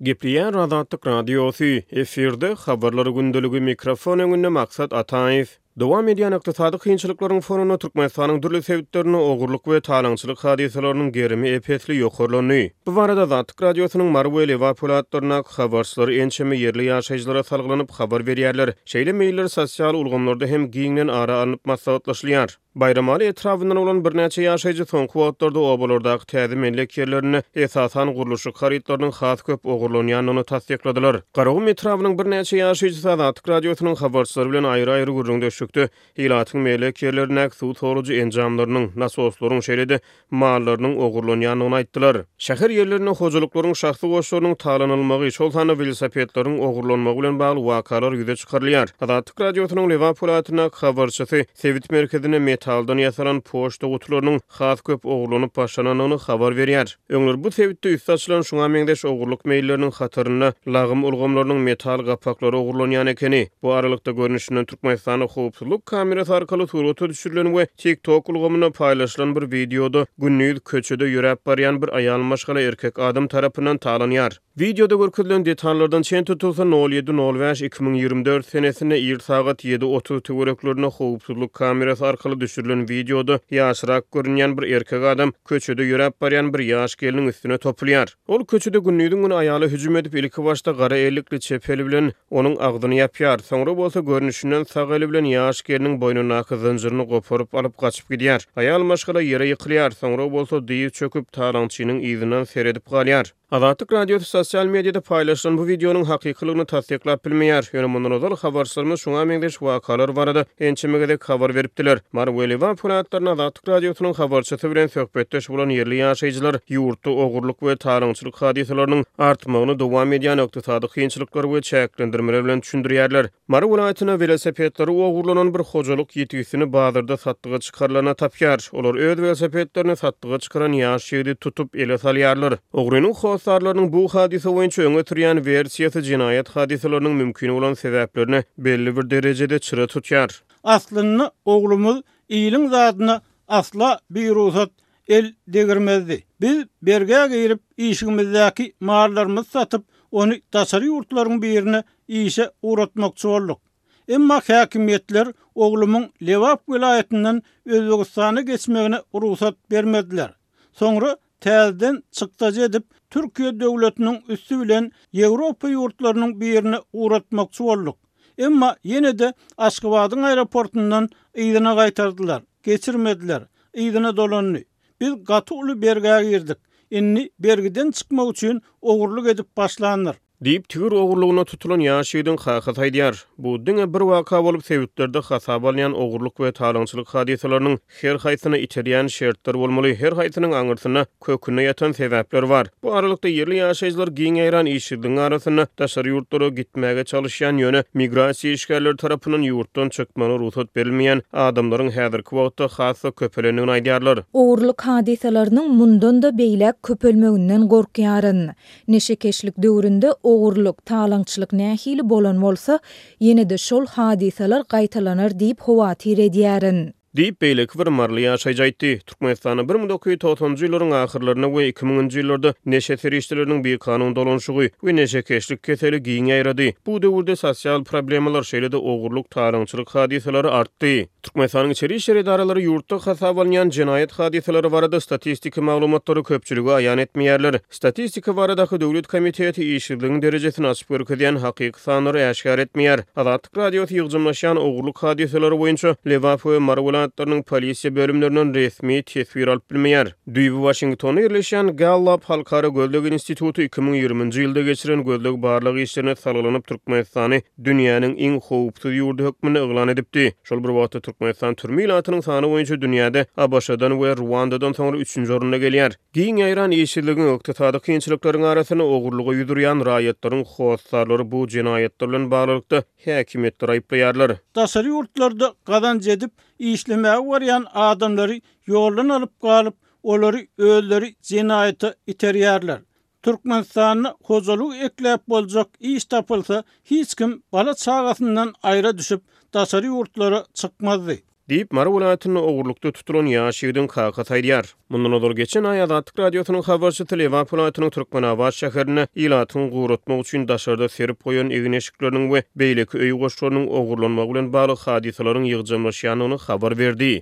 Gepleýär Azatlyk Radiosy, efirde Habarlar gündeligi, mikrofon öňünde Maksat Ataýew. Dowam edýän ykdysady kynçylyklaryň fonunda Türkmenistanyň dürli sebitlerinde ogurlyk we talaňçylyk hadysalarynyň gerimi ep-esli ýokarlandy. Bu barada Azatlyk Radiosynyň Mary we Lebap welaýatlaryndaky habarçylary ençeme ýerli ýaşaýjylara salgylanyp habar berýärler. Şeýle meýiller sosial ulgamlarda hem giňden ara alnyp maslahatlaşylýar. Baýramaly etrabyndan bolan birnäçe ýaşaýjy soňky wagtlarda obalardaky täze mellek ýerlerinde esasan gurluşyk harytlarynyň has köp ogurlanýandygyny tassykladylar. Garagum etrabynyň birnäçe ýaşaýjysy Azatlyk Radiosynyň habarçylary bilen aýry-aýry gürrüňdeşlikde ilatyň mellek ýerlerindäki suw sorujy enjamlarynyň, nasoslaryň, şeýle-de mallarynyň ogurlanýandygyny aýtdylar. Şäher ýerlerinde hojalyklaryň şahsy goşlarynyň talanylmagy, şol sanda welosipedleriň ogurlanmagy bilen bagly wakalar ýüze çykarylýar. Azatlyk Radiosynyň Lebap welaýatyndaky habarçysy sebit merkezinde metaldan ýasalan poçta gutularynyň has köp ogurlanyp başlanandygyny habar berýär. Öňler bu sebitde üsti açylan şuňa meňzeş ogurlyk meýilleriniň hatarynda lagym ulgamlarynyň metal gapaklary ogurlanýan ekeni. Bu aralykda, görnüşinden Türkmenistanda howpsuzlyk kamerasy arkaly surata düşürilen we TikTok ulgamynda paýlaşylan bir wideoda gündiz köçede ýöräp barýan bir aýal maşgala erkek adam tarapyndan talanýar. Wideoda görkezilen detallardan çen tutulsa, nol ýedi nol bäş 2024 senesinde ir sagat ýedi 30 töwereklerinde howpsuzlyk kamerasy arkaly düşürilen wideoda ýaşrak görünýän bir erkek adam köçede ýöräp barýan bir ýaş gelniň üstüne topulýar. Ol köçede gündiziň güni aýala hüjüm edip, ilkibaşda gara ellikli çep eli bilen Onuň agzyny ýapýar, soňra bolsa görnüşinden sag eli bilen ýaş gelniň boýnundaky zynjyryny goparyp alyp gaçyp gidýär. Aýal maşgala ýere ýykylýar, soňra bolsa dyz çöküp, talaňçynyň yzyndan seredip galýar. Azatlyk Radiosy sosial mediada paýlaşylan bu wideonyň hakykylygyny tassyklap bilmeýär. Ýöne mundan ozal habarçylarymyz şuňa meňzeş wakalar barada ençeme gezek habar beripdiler. Mary we Lebap welaýatlarynda Azatlyk Radiosynyň habarçysy bilen söhbetdeş bolan ýerli ýaşaýjylar ýurtda ogurlyk we talaňçylyk hadysalarynyň artmagyny dowam edýän ykdysady kynçylyklar we çäklendirmeler bilen düşündirýärler. Mary welaýatynda welosipedleri ogurlanan bir hojalyk ýitgisini bazarda satlyga çykarylanda tapýar. Olar öz welosipedlerini satlyga çykaran ýaş ýigidi tutup, ele salýarlar. Ogrynyň hossarlarynyň bu hadysa boýunça öňe sürýän wersiýasy jenaýat hadysalarynyň mümkin bolan sebäplerine belli bir derejede çyra tutýar. Aslynda oglumyz iliň zadyna asla birugsat el degirmezdi. Biz bergä girip, işigimizdäki mallarymyzy satyp, ony daşary ýurtlaryň birine işe ugratmakçy bolduk. Emma häkimiýetler oglumyň Lebap welaýatyndan Özbegistana geçmegine rugsat bermediler. Soňra täzeden çykdajy edip, Türkiýe döwletiniň üsti bilen Ýewropa ýurtlarynyň birine ugratmakçy bolduk. Emma ýene-de Aşgabadyň aeroportundan yzyna gaýtardylar, geçirmediler. Yzyna dolandy. Biz gaty uly bergä girdik. Indi bergiden çykmak üçin ogurlyk edip başlandyr. Diýip, tigir ogurlygyna tutulan ýaş ýigidiň kakasy aýdýar. Bu diňe bir waka bolup, sebitlerde hasaba alynýan ogurlyk we talaňçylyk hadysalarynyň her haýsyna iterýän şertler bolmaly, her haýsynyň aňyrsynda, kökünde ýatan sebäpler bar. Bu aralykda, ýerli ýaşaýjylar giň ýaýran işsizligiň arasynda daşary ýurtlara gitmäge çalyşýan, ýöne migrasiýa işgärleri tarapyndan ýurtdan çykmagyna rugsat berilmeýän adamlaryň häzirki wagtda has-da köpelendigini aýdýarlar. Ogurlyk hadysalarynyň mundan-da beýläk köpelmeginden gorkýaryn. Neşekeşlik döwründe ogurlyk, talaňçylyk nähili bolan bolsa, ýene-de şol hadysalar gaýtalanar diýip howatyr edýärin. Diýip, beýleki bir maryly ýaşaýjy aýtdy. Türkmenistanda 1990-njy ýyllaryň ahyrlarynda we iki müňünji ýyllarda neşe serişdeleriniň bikanun dolanyşygy we neşekeşlik keseli giň ýaýrady. Bu döwürde sosial problemalar, şeýle-de ogurlyk, talaňçylyk hadysalary artdy. Türkmenistanyň içeri işler edaralary ýurtda hasaba alynýan jenaýat hadysalary barada statistiki maglumatlary köpçülige aýan etmeýärler. Statistika baradaky döwlet komiteti işsizligiň derejesini açyp görkezýän hakyky sanlary äşgär etmeýär. Azatlyk Radiosy ýygjamlaşýan ogurlyk hadysalary boýunça Lebap we Mary welaýatlarynyň polisiýa bölümlerinden resmi teswir alyp bilmeýär. Düýbi Waşingtonda ýerleşýän Gallup halkara gözleg instituty 2020-nji ýylda geçiren gözleg-barlag işlerine salgylanyp Türkmenistany dünýäniň iň howpsuz ýurdy hökmünde yglan edipdi. Şol bir wagtda Türkmenistan türme ilatynyň sany boýunça dünýäde ABŞ-dan we Ruandadan soňra üçünji orunda gelýär. Giň ýaýran işsizligiň, ykdysady kynçylyklaryň arasynda ogurlyga ýüz urýan raýatlaryň hossarlary bu jenaýatlar bilen baglylykda häkimiýetleri aýyplaýarlar. Daşary ýurtlarda gazanç edip, işlemäge barýan adamlary ýoldan alyp galyp, olary özleri jenaýata iterýärler. Türkmenistanda hojalygy ekläp boljak iş tapylsa, hiç kim bala-çagasyndan aýra düşüp, daşary ýurtlara çykmazdy. Diýip, Mary welaýatynda ogurlykda tutulan ýaş ýigidiň kakasy aýdýar. Mundan ozal geçen aý Azatlyk Radiosynyň habarçysy Lebap welaýatynyň Türkmenabat şäherinde ilatyň guratmak üçin daşarda serip goýan egin-eşikleriniň we beýleki öý goşlarynyň ogurlanmagy bilen bagly hadysalaryň ýygjamlaşýandygyny habar berdi.